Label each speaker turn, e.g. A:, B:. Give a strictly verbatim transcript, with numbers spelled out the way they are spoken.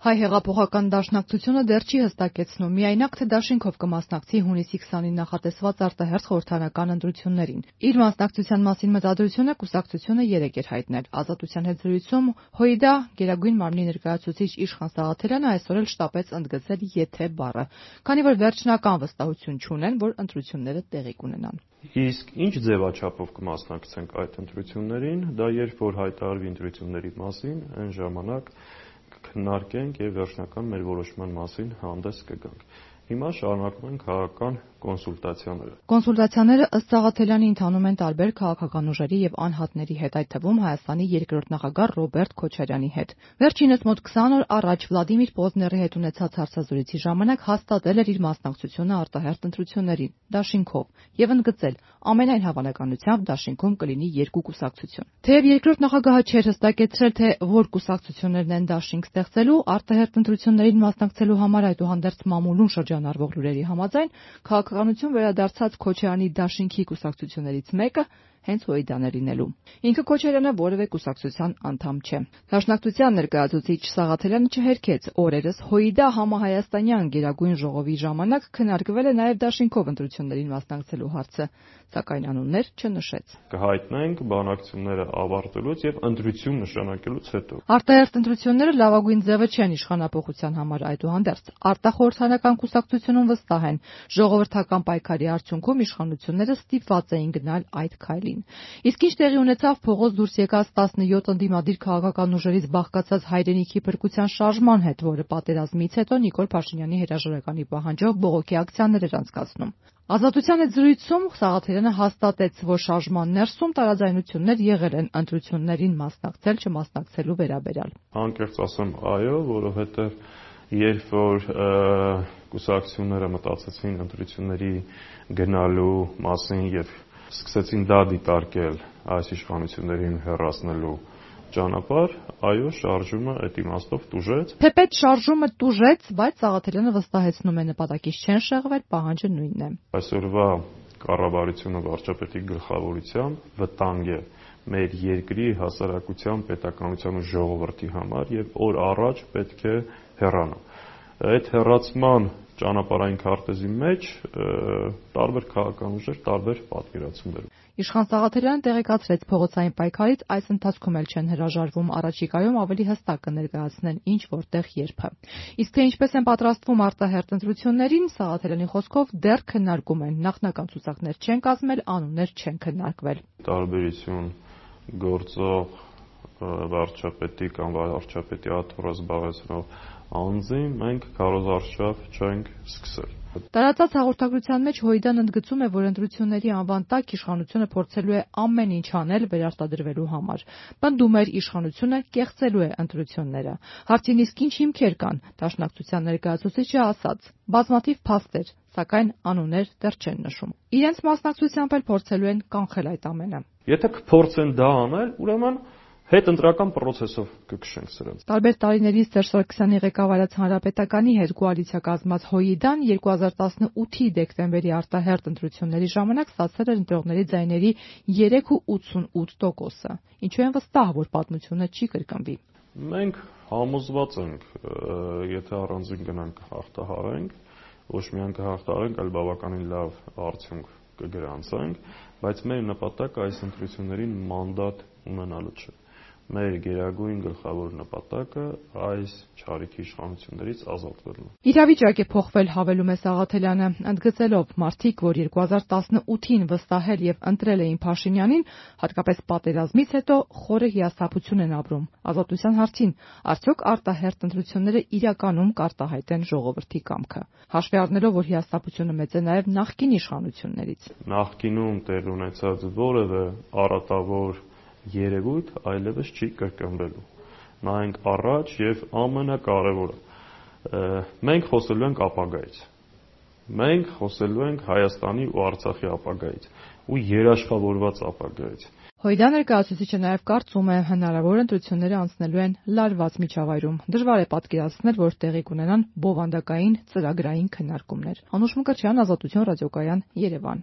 A: Հայ հեղափոխական դաշնակցությունը դեռ չի հստակեցնում միայնակ, թե դաշինքով կմասնակցի հունիսի քսանին նախատեսված արտահերթ խորհրդարանական ընտրություններին։ Իր մասնակցության մասին մտադրությունը կուսակցությունը երեկ էր հայտնել։ Ազատության հետ զրույցում ՀՅԴ Գերագույն մարմնի ներկայացուցիչ Իշխան Սաղաթելյանը այսօր էլ շտապեց ընդգծել «եթե» բառը, քանի որ վերջնական վստահություն չունեն, որ ընտրությունները տեղի կունենան։
B: Իսկ ինչ ձևաչափով կմասնակցենք այդ ընտրություններին, դա երբ որ հայտարարվի ընտրությունների մասին, այն ժամանակ քննարկենք եւ վերջնական մեր որոշման մասին հանդես կգանք։ Հիմա շարունակում են քաղաքական կոնսուլտացիաները։
A: Կոնսուլտացիաները ըստ Սաղաթելյանի ընթանում են տարբեր քաղաքական ուժերի եւ անհատների հետ, այդ թվում Հայաստանի երկրորդ նախագահ Ռոբերտ Քոչարյանի հետ։ Վերջինս մոտ քսան օր առաջ Վլադիմիր Պոզների հետ ունեցած հարցազրույցի ժամանակ հաստատել էր իր մասնակցությունը արտահերթ ընտրություններին դաշինքով եւ ընդգծել ամենայն հավանականությամբ դաշինքում կլինի երկու կուսակցություն։ Թեև երկրորդ նախագահը չէր հստակեցրել, թե որ կուսակցություններն են դաշինք ստեղծելու արտահերթ ընտրություններին մասնակցելու համար, այդուհանդերձ մամուլում շրջանառվող լուրերի համաձայն քաղաքականություն վերադարձած Քոչարյանի դաշինքի կուսակցություններից մեկը հենց ՀՅԴ-ն է լինելու։ Ինքը Քոչարյանը որևէ կուսակցության անդամ չէ։ Դաշնակցության ներկայացուցիչ Սաղաթելյանը չհերքեց օրերս ՀՅԴ համահայաստանյան Գերագույն ժողովի ժամանակ քննարկվել է նաև դաշինքով ընտրություններին մասնակցելու հարցը, սակայն անուններ չնշեց։
B: Կհայտնենք բանակցությունները ավարտելուց եւ ընտրություն նշանակելուց հետո։
A: Արտահերթ ընտրությունները լավագույն ձևը չեն իշխանափոխության համար, այդուհանդերձ արտախորհրդարանական կուսակցությունում վստահ են, ժողովրդական պայքարի արդյունքում իշխանությունները ստիպված էին գնալ այդ քայլին։ Իսկ ինչ տեղի ունեցավ փողոց դուրս եկած տասնյոթ ընդդիմադիր քաղաքական ուժերից բաղկացած հայրենիքի փրկության շարժման հետ, որը պատերազմից հետո Նիկոլ Փաշինյանի հրաժարականի պահանջով բողոքի ակցիաներ էր անցկացնում։ Ազատության հետ զրույցում Սաղաթելյանը հաստատեց, որ շարժման ներսում տարաձայնություններ եղել են ընտրություններին մասնակցել չմասնակցելու վերաբերյալ։
B: Անկեղծ ասեմ, այո, որովհետև երբ որ կուսակցությունները մտածեցին ընտրությունների գնալու մասին եւ սկսեցին դա դիտարկել այս իշխանություններին հեռացնելու ճանապարհ, այո, շարժումը այդ իմաստով տուժեց։
A: Թեպետ շարժումը տուժեց, բայց Սաղաթելյանը վստահեցնում է նպատակից չեն շեղվել, պահանջը նույնն է։
B: Այսօրվա կառավարությունը վարչապետի գլխավորությամբ վտանգ է մեր երկրի հասարակության, պետականության ու ժողովրդի համար եւ օր առաջ պետք է հեռանա։ Այդ հեռացման ճանապարհային քարտեզի մեջ տարբեր քաղաքական ուժեր, տարբեր պատկերացումներ։
A: Իշխան Սաղաթելյանը տեղեկացրեց փողոցային պայքարից այս ընթացքում էլ չեն հրաժարվում, առաջիկայում ավելի հստակ կներկայացնեն ինչ որտեղ երբը։ Իսկ թե ինչպես են պատրաստվում արտահերթ ընտրություններին, Սաղաթելյանի խոսքով դեռ քննարկում են, նախնական ցուցակներ չեն կազմել, անուններ չեն քննարկվել։
B: Տարբերություն գործող վարչապետի կամ վարչապետի աթոռը զբաղեցնող անձին մենք քարոզարշավ չենք սկսել։
A: Տարածած հաղորդագրության մեջ ՀՅԴ-ն ընդգծում է, որ ընտրությունների անվան տակ իշխանությունը փորձելու է ամեն ինչ անել վերարտադրվելու համար։ Պնդում էր, իշխանությունը կեղծելու է ընտրությունները։ Հարցին իսկ ինչ հիմքեր կան, դաշնակցության ներկայացուցիչը ասաց. բազմաթիվ փաստեր, սակայն անուններ դեռ չեն նշում։ Իրենց մասնակցությամբ էլ փորձելու են կանխել այդ ամենը։
B: Եթե կփորձեն դա անել, ուրեմն հետընտրական process-ով կքշենք սրանց։
A: Տարբեր տարիներից Սերժ Սարգսյանի ղեկավարած Հանրապետականի հետ կոալիցիա կազմած ՀՅԴ-ն երկու հազար տասնութի դեկտեմբերի արտահերթ ընտրությունների ժամանակ ստացել էր ընտրողների ձայների երեք կόμμα ութսունութ տոկոսը, ինչու են վստահ, որ պատմությունը չի կրկնվի։
B: Մենք համոզված ենք, եթե առանձին գնանք հաղթահարենք, ոչ միայն կհաղթահարենք, այլ բավականին լավ արդյունք կգրանցենք, բայց մեր նպատակը այս ընտրություններին մանդատ ունենալու չէ։ Մեր գերագույն գլխավոր նպատակը այս չարիքի իշխանություններից ազատվելն է։
A: Իրավիճակ է փոխվել, հավելում է Սաղաթելյանը, ընդգծելով մարդիկ, որ երկու հազար տասնութին վստահել եւ ընտրել էին Փաշինյանին, հատկապես պատերազմից հետո խորը հիասթափություն են ապրում։ Ազատության հարցին, արդյոք արտահերթ ընտրությունները իրականում կարտահայտեն ժողովրդի կամքը։ Հաշվի առնելով, որ հիասթափությունը մեծ է նաեւ նախկին իշխանություններից։
B: Նախկինում տեղ ունեցած որևէ առատավոր երևույթ այլևս չի կրկնվելու։ Նայենք առաջ եւ ամենակարևորը, մենք խոսելու ենք ապագայից։ Մենք խոսելու ենք Հայաստանի ու Արցախի ապագայից ու երաշխավորված ապագայից։
A: ՀՅԴ ներկայացուցիչը նաև կարծում է, հնարավոր ընտրությունները անցնելու են լարված միջավայրում։ Դժվար է պատկերացնել, որ տեղի կունենան բովանդակային ծրագրային քննարկումներ։ Անուշ Մկրտչյան, Ազատություն ռադիոկայան, Երևան։